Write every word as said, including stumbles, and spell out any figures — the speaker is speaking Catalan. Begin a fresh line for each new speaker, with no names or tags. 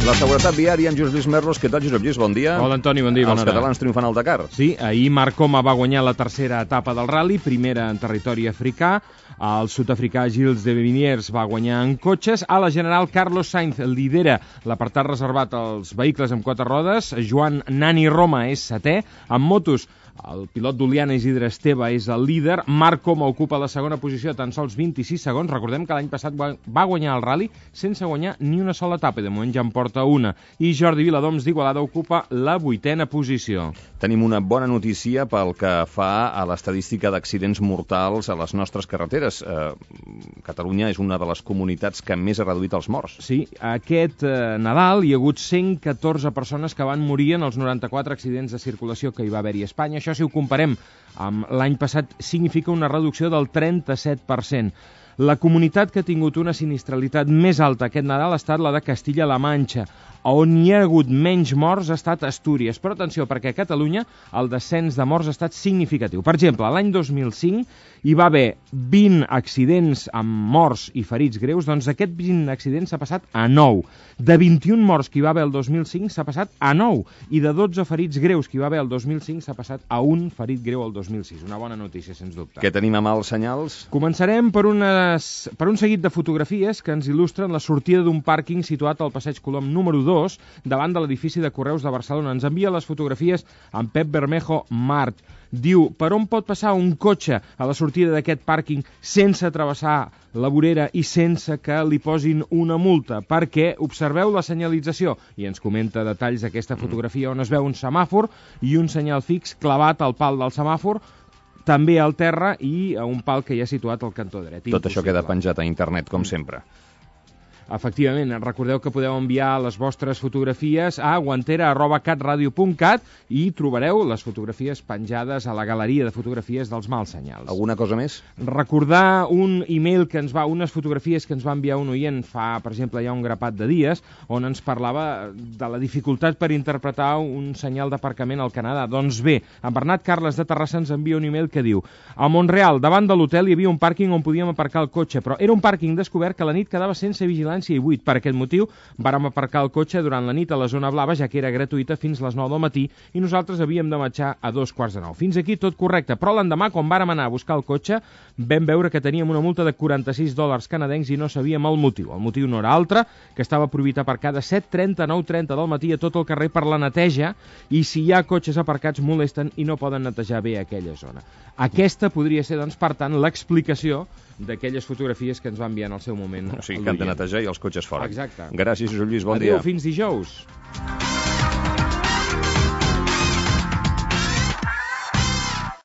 La seguretat viària amb Josep Lluís Merlos. Què tal, Josep Lluís? Bon dia.
Hola, Antoni, bon dia.
Els catalans triomfant al Dakar.
Sí, ahir Marc Coma va guanyar la tercera etapa del rally, primera en territori africà. El sud-africà Gilles de Villiers va guanyar en cotxes. A la general, Carlos Sainz lidera l'apartat reservat als vehicles amb quatre rodes. Joan Nani Roma és setè. En motos, el pilot d'Oliana Isidre Esteve és el líder. Marc Coma ocupa la segona posició a tan sols vint-i-sis segons. Recordem que l'any passat va guanyar el rally sense guanyar ni una sola etapa, i de moment ja en porta una. I Jordi Viladoms d'Igualada ocupa la vuitena posició.
Tenim una bona notícia pel que fa a l'estadística d'accidents mortals a les nostres carreteres. Eh, Catalunya és una de les comunitats que més ha reduït els morts.
Sí, aquest eh, Nadal hi ha hagut cent catorze persones que van morir en els noranta-quatre accidents de circulació que hi va haver-hi a Espanya. Això, si ho comparem amb l'any passat, significa una reducció del trenta-set per cent. La comunitat que ha tingut una sinistralitat més alta aquest Nadal ha estat la de Castilla-La Manxa. On hi ha hagut menys morts ha estat Astúries. Però atenció, perquè a Catalunya el descens de morts ha estat significatiu. Per exemple, l'any dos mil cinc hi va haver vint accidents amb morts i ferits greus, doncs aquest vint accidents s'ha passat a nou. De vint-i-un morts que hi va haver el dos mil cinc s'ha passat a nou. I de dotze ferits greus que hi va haver el dos mil cinc s'ha passat a un ferit greu el dos mil sis. Una bona notícia, sens dubte.
Què tenim a mals senyals?
Començarem per, unes, per un seguit de fotografies que ens il·lustren la sortida d'un pàrquing situat al passeig Colom número dos, davant de l'edifici de Correus de Barcelona. Ens envia les fotografies en Pep Bermejo Mart. Diu, per on pot passar un cotxe a la sortida d'aquest pàrquing sense travessar la vorera i sense que li posin una multa? Perquè observeu la senyalització, i ens comenta detalls d'aquesta fotografia on es veu un semàfor i un senyal fix clavat al pal del semàfor, també al terra i a un pal que hi ha situat al cantó dret.
Tot Impossible. Això queda penjat a internet, com sempre.
Efectivament, recordeu que podeu enviar les vostres fotografies a guantera arroba catradio punt cat i trobareu les fotografies penjades a la galeria de fotografies dels mals senyals.
Alguna cosa més?
Recordar un e-mail que ens va, unes fotografies que ens va enviar un oient fa, per exemple, ja un grapat de dies, on ens parlava de la dificultat per interpretar un senyal d'aparcament al Canadà. Doncs bé, en Bernat Carles de Terrassa ens envia un e-mail que diu: a Montreal, davant de l'hotel hi havia un pàrquing on podíem aparcar el cotxe, però era un pàrquing descobert que a la nit quedava sense vigilància i buit. Per aquest motiu vàrem aparcar el cotxe durant la nit a la zona blava, ja que era gratuïta fins les nou del matí i nosaltres havíem de marxar a dos quarts de nou. Fins aquí tot correcte, però l'endemà, quan vàrem anar a buscar el cotxe, vam veure que teníem una multa de quaranta-sis dòlars canadencs i no sabíem el motiu. El motiu no era altre, que estava prohibit aparcar de set trenta a nou trenta del matí a tot el carrer per la neteja, i si hi ha cotxes aparcats molesten i no poden netejar bé aquella zona. Aquesta podria ser, doncs, per tant, l'explicació d'aquelles fotografies que ens va enviar en el seu moment.
O sigui, que han de netejar i els cotxes fora.
Exacte.
Gràcies, Josep Lluís, bon
Adéu,
dia.
fins dijous.